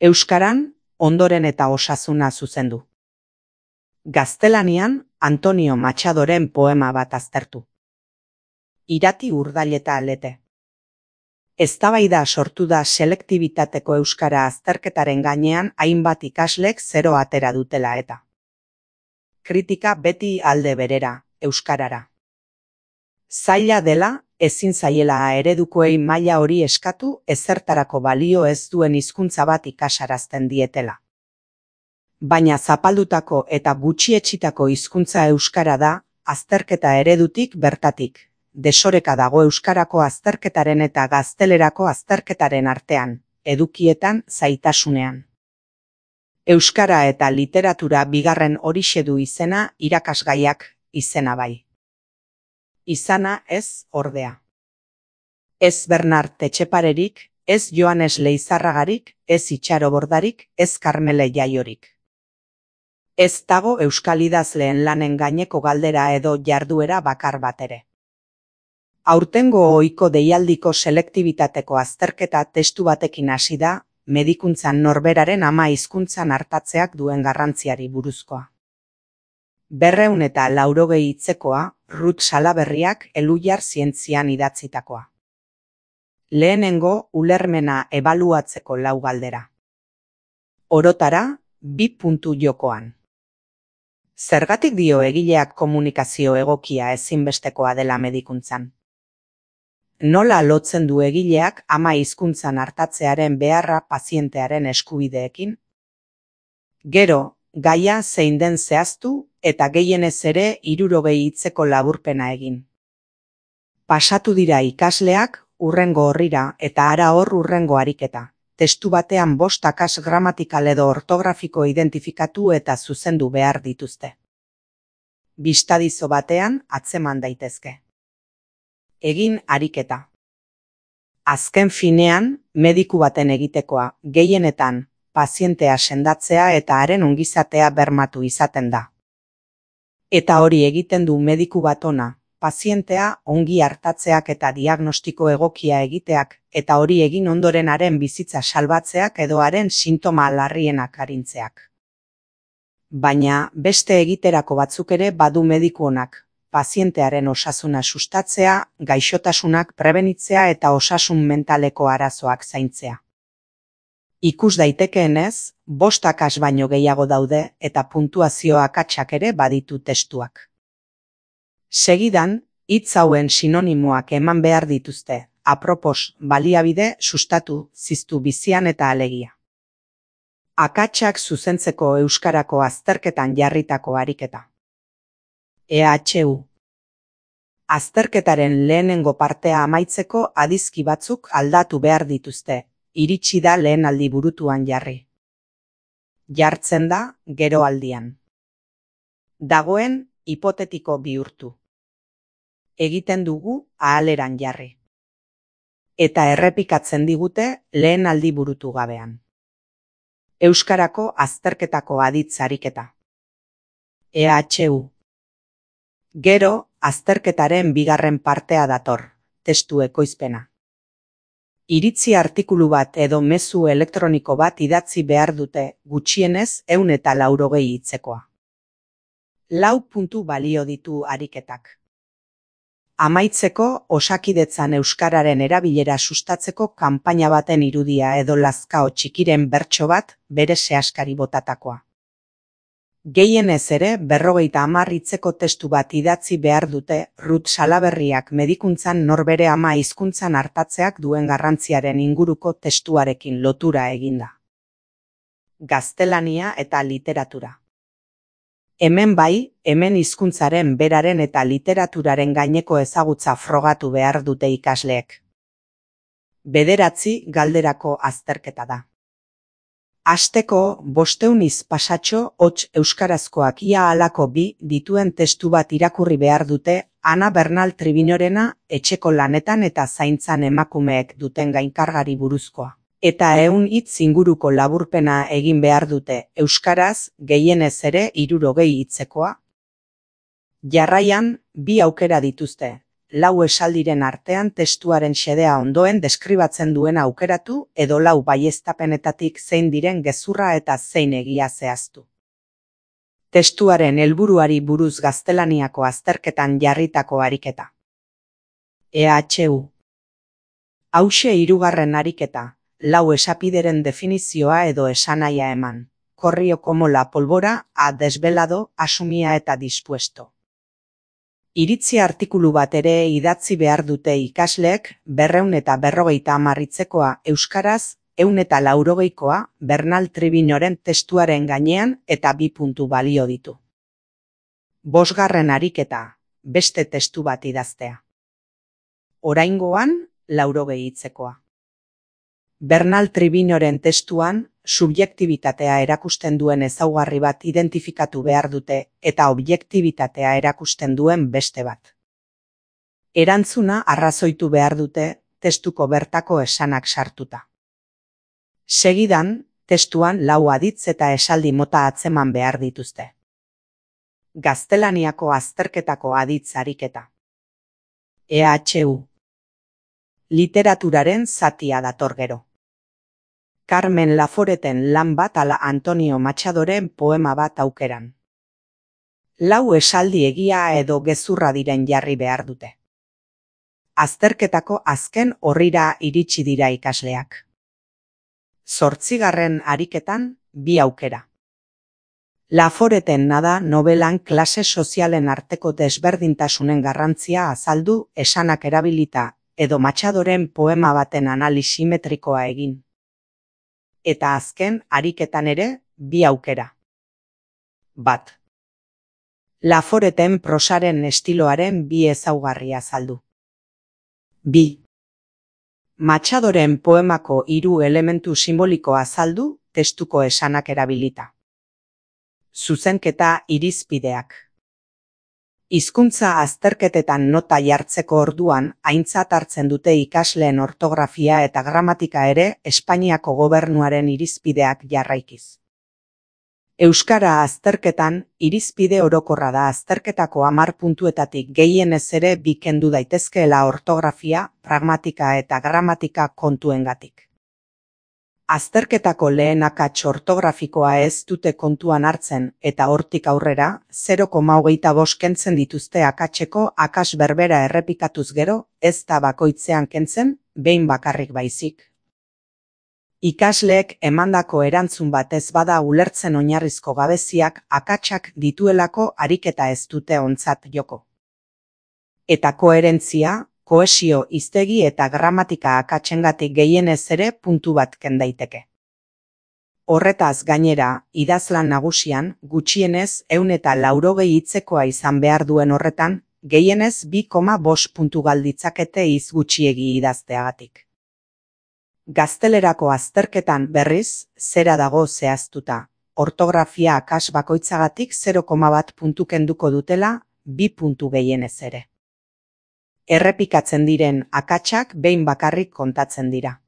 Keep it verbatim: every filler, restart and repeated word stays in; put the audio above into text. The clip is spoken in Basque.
Euskaran, ondoren eta osasuna zuzendu. Gaztelanian, Antonio Machadoren poema bat aztertu. Irati urdaileta alete. Eztabaida sortu da selektibitateko euskara azterketaren gainean hainbat ikaslek zero atera dutela eta. Kritika beti alde berera, euskarara. Zaila dela, ezin zaiela eredukoei maila hori eskatu ezertarako balio ez duen hizkuntza bat ikasarazten dietela. Baina zapaldutako eta gutxietsitako hizkuntza euskara da, azterketa eredutik bertatik. Desoreka dago euskarako azterketaren eta gaztelerako azterketaren artean, edukietan zaitasunean. Euskara eta literatura bigarren horixe du izena irakasgaiak izena bai. Izana ez ordea. Ez Bernard Etxeparerik, ez Joanes Leizarragarik, ez Itxaro Bordarik, ez Karmele Jaiorik. Ez dago euskal idazleen lanen gaineko galdera edo jarduera bakar bat ere. Aurtengo ohiko deialdiko selektibitateko azterketa testu batekin hasi da, medikuntzan norberaren ama hizkuntzan artatzeak duen garrantziari buruzkoa. Berreun eta laurogei hitzekoa, Ruth Salaberriak Elhuyar zientzian idatzitakoa. Lehenengo ulermena ebaluatzeko lau galdera. Orotara, bi puntu jokoan. Zergatik dio egileak komunikazio egokia ezinbestekoa dela medikuntzan? Nola lotzen du egileak ama hizkuntzan artatzearen beharra pazientearen eskubideekin? Gero, gaia zein den zehaztu eta gehienez ere hirurogei hitzeko laburpena egin. Pasatu dira ikasleak hurrengo horrira eta hara hor hurrengo ariketa. Testu batean bost akas gramatikal edo ortografiko identifikatu eta zuzendu behar dituzte. Bistadizo batean atzeman daitezke. Egin ariketa. Azken finean, mediku baten egitekoa, gehienetan, pazientea sendatzea eta haren ongizatea bermatu izaten da. Eta hori egiten du mediku bat ona, pazientea ongi hartatzeak eta diagnostiko egokia egiteak, eta hori egin ondoren haren bizitza salbatzeak edo haren sintoma larrienak arintzeak. Baina beste egiterako batzuk ere badu mediku onak, pazientearen osasuna sustatzea, gaixotasunak prebenitzea eta osasun mentaleko arazoak zaintzea. Ikus daitekeenez, bost akas baino gehiago daude eta puntuazio akatsak ere baditu testuak. Segidan, hitz hauen sinonimoak eman behar dituzte, apropos, baliabide, sustatu, ziztu bizian eta alegia. Akatsak zuzentzeko euskarako azterketan jarritako ariketa. E H U. Azterketaren lehenengo partea amaitzeko adizki batzuk aldatu behar dituzte, iritsi da lehen aldi burutuan jarri. Jartzen da, gero aldian. Dagoen, hipotetiko bihurtu. Egiten dugu, ahaleran jarri. Eta errepikatzen digute, lehen aldi burutu gabean. Euskarako azterketako aditz ariketa. E H U. Gero, azterketaren bigarren partea dator, testu ekoizpena. Iritzi artikulu bat edo mezu elektroniko bat idatzi behar dute, gutxienez ehun eta laurogei hitzekoa. Lau puntu balio ditu ariketak. Amaitzeko, Osakidetzan euskararen erabilera sustatzeko kanpaina baten irudia edo lazkao txikiren bertso bat bere sehaskari botatakoa. Gehienez ere berrogeita hamar hitzeko testu bat idatzi behar dute Ruth Salaberriak medikuntzan norbere ama hizkuntzan artatzeak duen garrantziaren inguruko testuarekin lotura eginda. Gaztelania eta literatura. Hemen bai, hemen hizkuntzaren beraren eta literaturaren gaineko ezagutza frogatu behar dute ikasleek. Bederatzi galderako azterketa da. Hasteko, bosteun hitz pasatxo hots euskarazkoak ia halako bi dituen testu bat irakurri behar dute Ana Bernal Tribinorena etxeko lanetan eta zaintzan emakumeek duten gainkargari buruzkoa. Eta ehun hitz inguruko laburpena egin behar dute euskaraz gehienez ere hirurogei hitzekoa. Jarraian, bi aukera dituzte, lau esaldiren artean testuaren xedea ondoen deskribatzen duena aukeratu edo lau baieztapenetatik zein diren gezurra eta zein egia zehaztu. Testuaren helburuari buruz gaztelaniako azterketan jarritako ariketa. E H U. Hauxe hirugarren ariketa, lau esapideren definizioa edo esanahia eman. Corrió como la pólvora, ha desvelado, asumía eta dispuesto. Iritzi artikulu bat ere idatzi behar dute ikasleek, berreun eta berrogeita hamarritzekoa euskaraz, ehun eta laurogeikoa, Bernal Tribinoren testuaren gainean eta bi puntu balio ditu. Bosgarren ariketa, beste testu bat idaztea. Oraingoan, laurogei hitzekoa. Bernal Tribinoren testuan, subjektibitatea erakusten duen ezaugarri bat identifikatu behar dute eta objektibitatea erakusten duen beste bat. Erantzuna arrazoitu behar dute testuko bertako esanak sartuta. Segidan, testuan lau aditz eta esaldi mota atzeman behar dituzte. Gaztelaniako azterketako aditz ariketa. E H U. Literaturaren zatia dator gero. Carmen Laforeten lan bat ala Antonio Machadoren poema bat aukeran. Lau esaldi egia edo gezurra diren jarri behar dute. Azterketako azken orrira iritsi dira ikasleak. Zortzigarren ariketan, bi aukera. Laforeten nada novelan klase sozialen arteko desberdintasunen garrantzia azaldu esanak erabilita edo Machadoren poema baten analisi metrikoa egin. Eta azken ariketan ere, bi aukera. Bat. Laforeten prosaren estiloaren bi ezaugarri azaldu. Bi. Machadoren poemako hiru elementu simboliko azaldu, testuko esanak erabilita. Zuzenketa irizpideak. Hizkuntza azterketetan nota jartzeko orduan aintzat hartzen dute ikasleen ortografia eta gramatika ere Espainiako gobernuaren irizpideak jarraikiz. Euskara azterketan irizpide orokorra da azterketako hamar puntuetatik gehienez ere bi kendu daitezkeela ortografia, pragmatika eta gramatika kontuengatik. Azterketako lehen akats ortografikoa ez dute kontuan hartzen eta hortik aurrera, zero koma hogeita bost kentzen dituzte akatseko akas berbera errepikatuz gero, ez da bakoitzean kentzen, behin bakarrik baizik. Ikasleek emandako erantzun bat ez bada ulertzen oinarrizko gabeziak akatsak dituelako ariketa ez dute ontzat joko. Eta koherentzia, kohesio hiztegi eta gramatika akatsengatik gehienez ere puntu bat ken daiteke. Horretaz gainera, idazlan nagusian, gutxienez ehun eta laurogei hitzekoa izan behar duen horretan, gehienez bi koma bost puntu galditzakete hitz gutxiegi idazteagatik. Gaztelerako azterketan berriz, zera dago zehaztuta, ortografia akas bakoitzagatik zero koma bat puntu kenduko dutela, bi puntu gehienez ere. Errepikatzen diren akatsak behin bakarrik kontatzen dira.